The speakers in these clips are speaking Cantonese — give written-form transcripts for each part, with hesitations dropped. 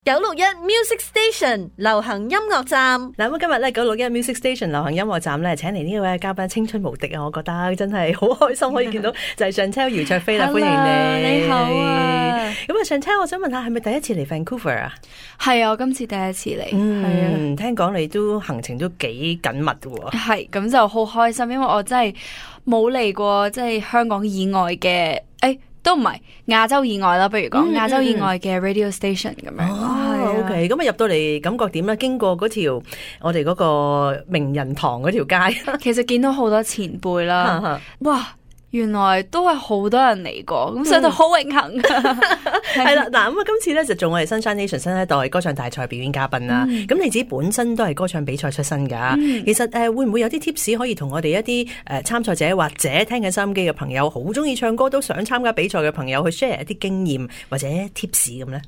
961 Music Station 流行音樂站。嗱，咁今日咧961 Music Station 流行音樂站咧，請嚟呢位嘉賓青春無敵啊！我覺得真係好開心可以見到，就係 Chantel 姚焯菲啦，歡迎你。你好啊！咁啊，Chantel，我想問下，係咪第一次嚟 Vancouver 啊？係啊，我今次第一次嚟。係啊，聽講你都行程都幾緊密嘅喎。係，咁就好開心，因為我真係冇嚟過，即係香港以外嘅，都唔係亞洲以外啦，不如講亞洲以外嘅 radio station 咁樣。OK， 咁啊入到嚟感覺點咧？經過嗰條我哋嗰個名人堂嗰條街，其實見到好多前輩啦，哇！原來都係好多人嚟過，咁所以就好榮幸。係啦，嗱，咁啊，今次咧就做我哋 Sunshine Nation 新一代歌唱大賽表演嘉賓啦。咁你自己本身都係歌唱比賽出身噶，其實會唔會有啲 tips 可以同我哋一啲參賽者或者聽緊收音機嘅朋友，好中意唱歌都想參加比賽嘅朋友去 share 一啲經驗或者 tips 咁咧？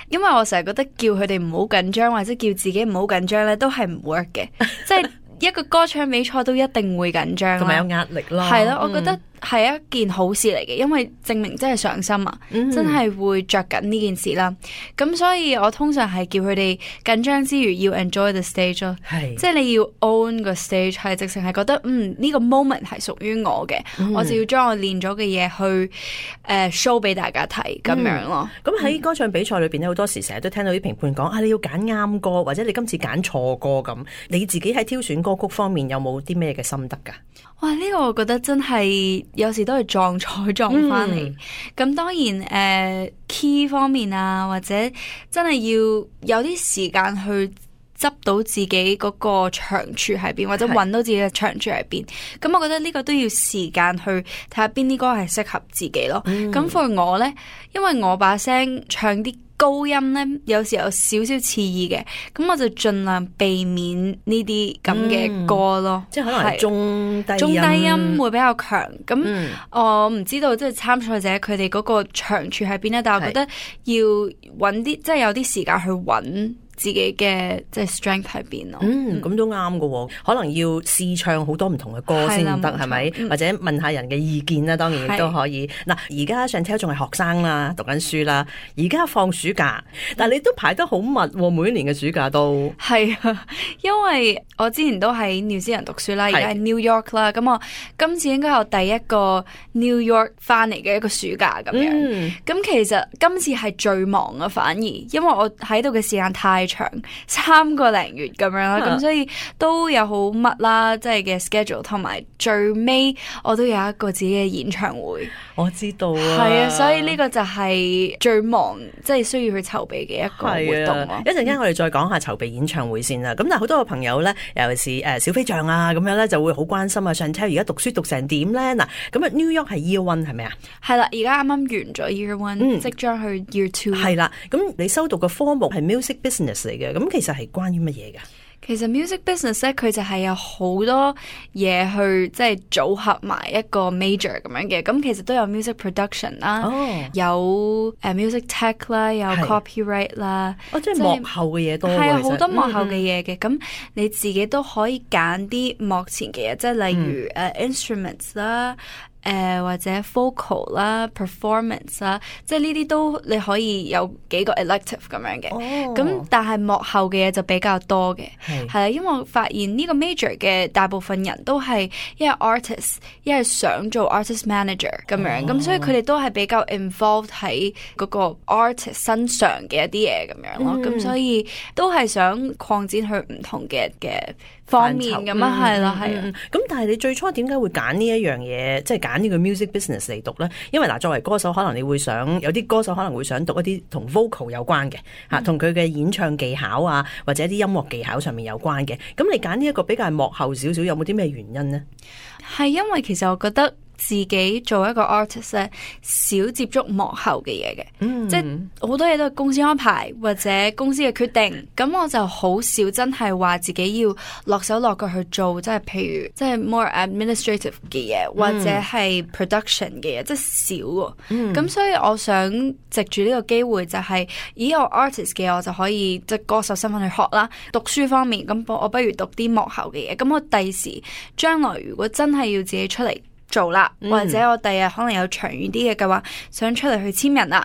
因為我成日覺得叫佢哋唔好緊張，或者叫自己唔好緊張咧，都係唔 work 嘅，即係。一個歌唱比賽都一定會緊張，同埋有壓力啦。係啦，我覺得係一件好事嚟嘅，因為證明真係上心啊，真係會着緊呢件事啦。咁所以我通常係叫佢哋緊張之餘要 enjoy the stage 咯，即係你要 own 個 stage， 係直情係覺得呢個 moment 係屬於我嘅，我就要將我練咗嘅嘢去show 俾大家睇咁樣咯。咁喺歌唱比賽裏邊咧，好多時成日都聽到啲評判講你要揀啱歌，或者你今次揀錯歌咁，你自己喺挑選歌曲方面有冇啲咩嘅心得噶？哇！呢個我覺得真係有時都係撞彩撞翻嚟。咁當然key 方面啊，或者真係要有啲時間去執到自己嗰個長處喺邊，或者揾到自己嘅長處喺邊。咁我覺得呢個都要時間去睇下邊啲歌係適合自己咯。咁 for 我呢，因為我把聲唱啲高音呢，有時有少少刺耳嘅，咁我就盡量避免呢啲咁嘅歌咯。即係可能係中低音會比較強。咁我唔知道即係參賽者佢哋嗰個長處喺邊咧，但係我覺得要揾啲即係有啲時間去揾自己嘅即係 strength 喺邊咯。咁都啱㗎，可能要試唱好多唔同嘅歌先得，係咪？或者問下人嘅意見啦，當然亦都可以。嗱，而家Chantel仲係學生啦，讀緊書啦，而家放暑假，但係你都排得好密，每一年嘅暑假都係啊，因為我之前都喺 New Zealand 讀書啦，而家喺 New York 啦，咁我今次應該有第一個 New York 翻嚟嘅一個暑假咁樣。咁其實今次係最忙啊，反而因為我喺度嘅時間太長，3個零月咁樣啦，咁所以都有好密啦，即係嘅 schedule， 同埋最尾我都有一個自己嘅演唱會。我知道啊，係啊，所以呢個就係最忙，即係需要去籌備嘅一個活動咯。一陣間我哋再講下籌備演唱會先啦。咁但係好多個朋友咧，尤其是小飛象啊咁樣咧，就會好關心啊。Chantel 而家讀書讀成點咧？嗱，咁啊 New York 係 Year One 係咪啊？係啦，而家啱啱完咗 Year One，即將去 Year Two。係啦，咁你修讀嘅科目係 Music Business 嚟嘅，咁其實係關於乜嘢㗎？其實 music business 咧，佢就係有好多嘢去即係組合埋一個 major 咁樣嘅。咁其實都有 music production 啦，有music tech 啦，有 copyright 啦，即係幕後嘅嘢多。係啊，好多幕後嘅嘢嘅。咁你自己都可以揀啲幕前嘅嘢，即係例如instruments 啦。或者 vocal 啦 performance 啦，即係呢啲都你可以有幾個 elective 咁樣嘅。咁但係幕後嘅嘢就比較多嘅，係啦，因為我發現呢個 major 嘅大部分人都係一係 artist， 一係想做 artist manager 咁樣，咁所以佢哋都係比較 involved 喺嗰個 artist 身上嘅一啲嘢咁樣咯，咁所以都係想擴展去唔同嘅方面咁啊，係啦，係啊。咁但係你最初點解會揀呢一樣嘢，即係揀呢個 music business 嚟讀咧？因為嗱，作為歌手，可能你會想有啲歌手可能會想讀一啲同 vocal 有關嘅嚇，同佢嘅演唱技巧啊，或者啲音樂技巧上面有關嘅。咁你揀呢一個比較係幕後少少，有冇啲咩原因呢？係因為其實我覺得自己做一個 artist 咧，少接觸幕後嘅嘢嘅，即係好多嘢都係公司安排或者公司嘅決定，咁我就好少真係話自己要落手落腳去做，即係譬如即係 more administrative 嘅嘢，或者係 production 嘅嘢，即係少喎。咁所以我想藉住呢個機會就係，以我 artist 嘅我就可以即係歌手身份去學啦。讀書方面，咁我不如讀啲幕後嘅嘢，咁我第時將來如果真係要自己出嚟做啦，或者我第日可能有長遠啲嘅計劃，想出嚟去簽人啦。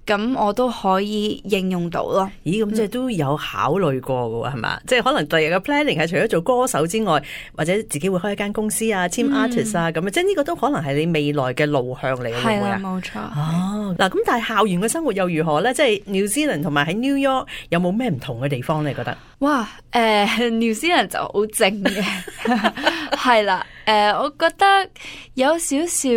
咁我都可以應用到咯。咦，咁即係都有考慮過嘅喎，係嘛？即係可能第日嘅 planning 係除咗做歌手之外，或者自己會開一間公司啊，team artist 啊咁啊，即係呢個都可能係你未來嘅路向嚟嘅，會唔會啊？冇錯。哦，嗱，咁但係校園嘅生活又如何咧？即係 New Zealand 同埋喺 New York 有冇咩唔同嘅地方你覺得？哇，New Zealand 就好靜嘅，係啦，我覺得有少少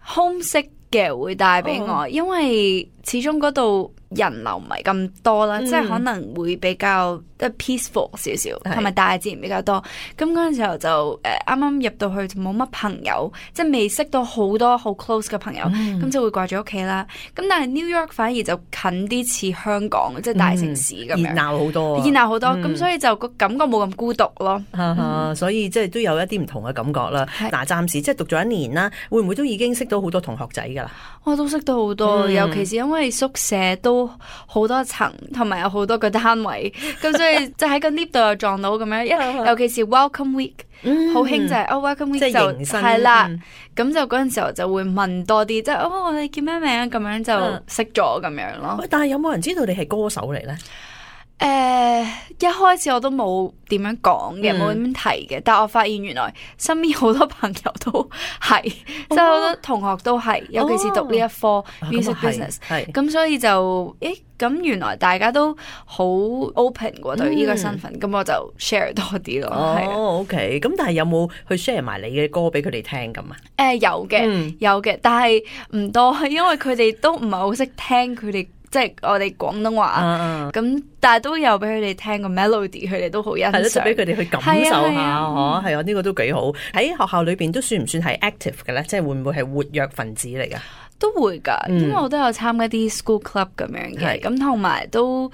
homesick 嘅會帶俾我，因為始終嗰度人流唔係咁多啦，即係可能會比較peaceful 少少，同埋大自然比較多。咁嗰陣時候就啱啱入到去就冇乜朋友，即係未識到好多好 close 嘅朋友，咁就會掛住屋企啦。咁但係 New York 反而就近啲似香港，即係大城市咁樣，熱鬧好多，熱鬧好多。咁所以就個感覺冇咁孤獨咯。所以即係都有一啲唔同嘅感覺啦。嗱，暫時即係讀咗1年啦，會唔會都已經識到好多同學仔㗎啦？我都識到好多，尤其是因為宿舍都好多層，同埋有好多個單位，咁所以就喺個 lift 度又撞到咁樣。尤其是 Welcome Week，好興就係Welcome Week 就係啦，咁就嗰陣時候就會問多啲，即係我哋叫咩名啊？咁樣就識咗咁樣咯。但係有冇人知道你係歌手嚟咧？一開始我都冇點樣講嘅，冇點樣提嘅，但我發現原來身邊好多朋友都係，即係好多同學都係，尤其是讀呢一科 music business，咁所以就咁原來大家都好 open 喎對呢個身份，咁我就 share 多啲咯。OK， 咁但係有冇去 share 埋你嘅歌俾佢哋聽咁啊？有嘅，但係唔多，因為佢哋都唔係好識聽佢哋。即係我哋廣東話，咁但係都有俾佢哋聽個 melody，佢哋都好欣賞，係咯，就俾佢哋去感受下，係啊，呢個都幾好。喺學校裏邊都算唔算係 active 嘅咧？即係會唔會係活躍分子嚟噶？都會噶，因為我都有參加啲 school club 咁樣嘅，咁同埋都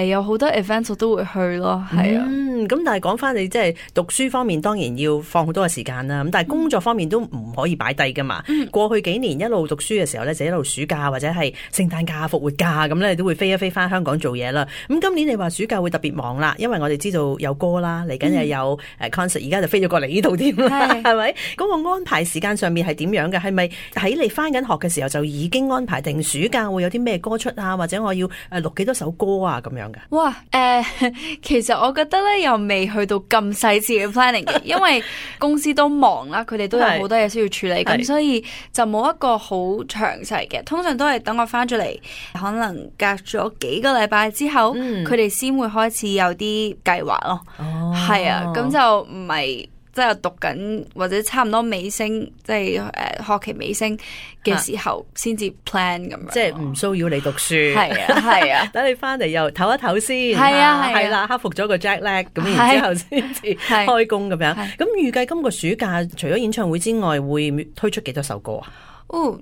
有好多 events 我都會去咯，係啊。咁但係講翻你即係讀書方面，當然要放好多嘅時間啦。咁但係工作方面都唔可以擺低噶嘛。過去幾年一路讀書嘅時候咧，就一路暑假或者係聖誕假、復活假咁咧，都會飛一飛翻香港做嘢啦。咁今年你話暑假會特別忙啦，因為我哋知道有歌啦，嚟緊又有concert，而家就飛咗過嚟呢度添啦，係咪？嗰個安排時間上面係點樣嘅？係咪喺你翻緊學嘅時候就已經安排定暑假會有啲咩歌出啊，或者我要錄幾多首歌啊咁樣嘅？哇，其實我覺得咧又未去到咁細緻嘅 planning 嘅，因為公司都忙啦，佢哋都有好多嘢需要處理，咁所以就冇一個好詳細嘅。通常都係等我翻咗嚟，可能隔咗幾個禮拜之後，佢哋先會開始有啲計劃咯。係啊，咁就唔係。即係讀緊或者差唔多尾聲，即係學期尾聲嘅時候先至 plan 咁樣，即係唔騷擾你讀書。係啊，等你翻嚟又唞一唞先。係啦，克服咗個 jet lag，咁然之後先至開工咁樣。咁預計今個暑假除咗演唱會之外，會推出幾多首歌啊？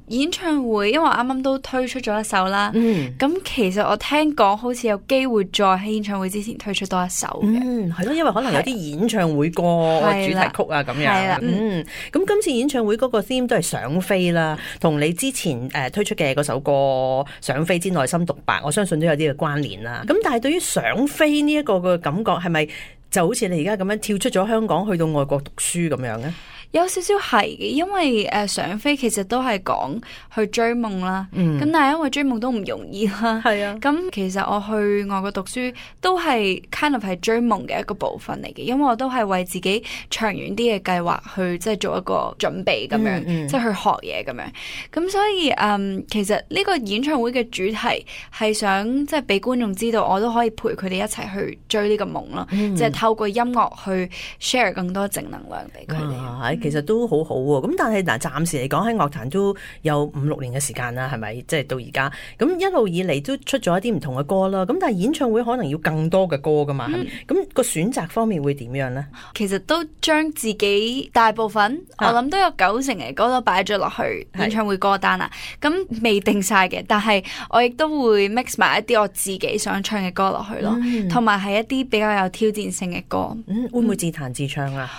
演唱會，因為我啱啱都推出咗一首啦。咁其實我聽講好似有機會再喺演唱會之前推出多一首嘅。係咯，因為可能有啲演唱會歌主題曲啊咁樣。咁今次演唱會嗰個 theme 都係想飛啦，同你之前推出嘅嗰首歌想飛之內心獨白，我相信都有啲嘅關聯啦。咁但係對於想飛呢一個嘅感覺，係咪就好似你而家咁樣跳出咗香港去到外國讀書咁樣咧？有少少係嘅，因為想飛其實都係講去追夢啦。咁但係因為追夢都唔容易啦。係啊。咁其實我去外國讀書都係 kind of 係追夢嘅一個部分嚟嘅，因為我都係為自己長遠啲嘅計劃去即係做一個準備咁樣，即係去學嘢咁樣。咁所以其實呢個演唱會嘅主題係想即係俾觀眾知道，我都可以陪佢哋一齊去追呢個夢咯。即係透過音樂去 share 更多正能量俾佢哋。其實都好好喎，咁但係嗱，暫時嚟講喺樂壇都有5-6年嘅時間啦，係咪？即係到而家，咁一路以嚟都出咗一啲唔同嘅歌啦。咁但係演唱會可能要更多嘅歌噶嘛，咁個選擇方面會點樣呢？其實都將自己大部分，我諗都有90%嘅歌都擺咗落去演唱會歌單啦。咁未定晒嘅，但係我亦都會 mix 埋一啲我自己想唱嘅歌落去咯，同埋係一啲比較有挑戰性嘅歌。會唔會自彈自唱啊？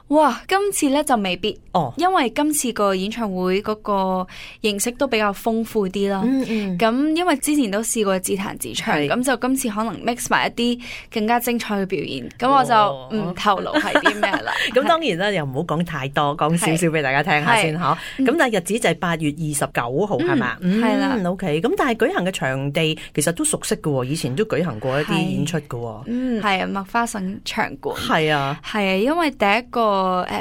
哇，今次咧就未必因為今次個演唱會嗰個形式都比較豐富啲啦。咁因為之前都試過自彈自唱，咁就今次可能 mix 埋一啲更加精彩嘅表演。咁我就唔透露係啲咩啦。咁當然啦，又唔好講太多，講少少俾大家聽下先嗬。咁但係日子就係8月29號係嘛？係啦，OK。咁但係舉行嘅場地其實都熟悉嘅，以前都舉行過一啲演出嘅。係啊，麥花臣場館。係啊，因為第一個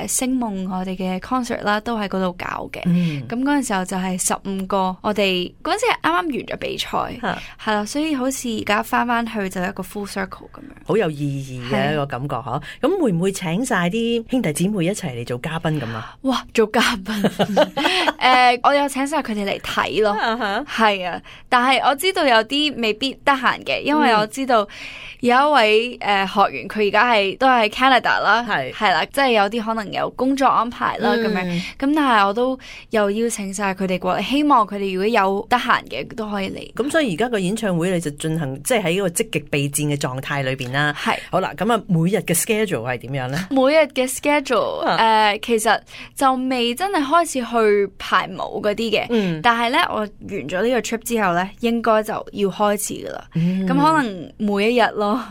星夢我哋嘅 concert 啦，都喺嗰度搞嘅。咁嗰陣時候就係15個，我哋嗰陣時係啱啱完咗比賽，係啦，所以好似而家翻去就一個 full circle 咁樣，好有意義嘅一個感覺嗬。咁會唔會請晒啲兄弟姊妹一齊嚟做嘉賓咁啊？哇，做嘉賓我有請晒佢哋嚟睇咯，係啊，但係我知道有啲未必得閒嘅，因為我知道有一位學員佢而家都係 Canada 啦，係啦，即係有啲可能有工作安排啦咁樣，咁但係我都又邀請晒佢哋過嚟，希望佢哋如果有得閒嘅都可以嚟。咁所以而家個演唱會你就進行即係喺一個積極備戰嘅狀態裏邊啦。係好啦，咁啊每日嘅 schedule 係點樣咧？每日嘅 schedule 其實就未真係開始去排舞嗰啲嘅，但係咧我完咗呢個 trip 之後咧，應該就要開始噶啦。咁可能每一日咯，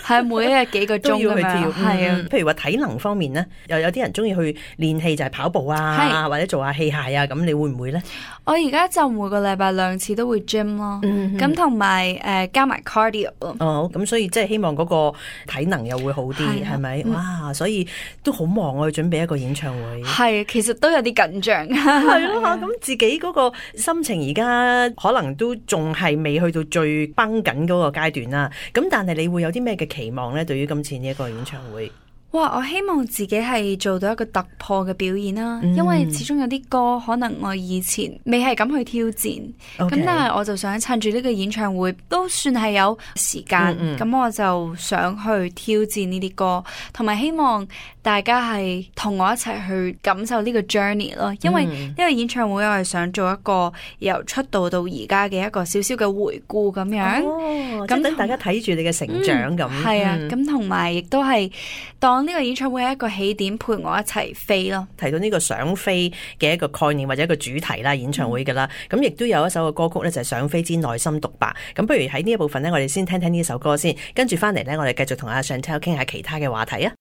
係每一日幾個鐘都要去跳。係啊，譬如話體能方面咧，又有啲人中意去練氣，就係跑步啊，或者做下器械啊，咁你會唔會咧？我而家就每個禮拜2次都會 gym 咯，咁同埋加埋 cardio 咯。咁所以即係希望嗰個體能又會好啲，係咪？哇，所以都好忙啊，去準備一個演唱會。係，其實都有啲緊張。係咯，咁自己嗰個心情而家可能都仲係未去到最繃緊嗰個階段啦。咁但係你會有啲咩嘅期望咧？對於今次呢一個演唱會？哇！我希望自己係做到一個突破嘅表演啦，因為始終有啲歌可能我以前未係咁去挑戰，咁但係我就想趁住呢個演唱會都算係有時間，咁我就想去挑戰呢啲歌，同埋希望大家係同我一齊去感受呢個 journey 咯，因為呢個演唱會我係想做一個由出道到而家嘅一個少少嘅回顧咁樣，咁等大家睇住你嘅成長咁。係啊，咁同埋亦都係當呢個演唱會係一個起點，陪我一齊飛咯。提到呢個想飛嘅一個概念或者一個主題啦，演唱會㗎啦，咁亦都有一首嘅歌曲咧，就係想飛之內心獨白。咁不如喺呢一部分咧，我哋先聽聽呢首歌先，跟住翻嚟咧，我哋繼續同阿 Chantel 傾下其他嘅話題啊。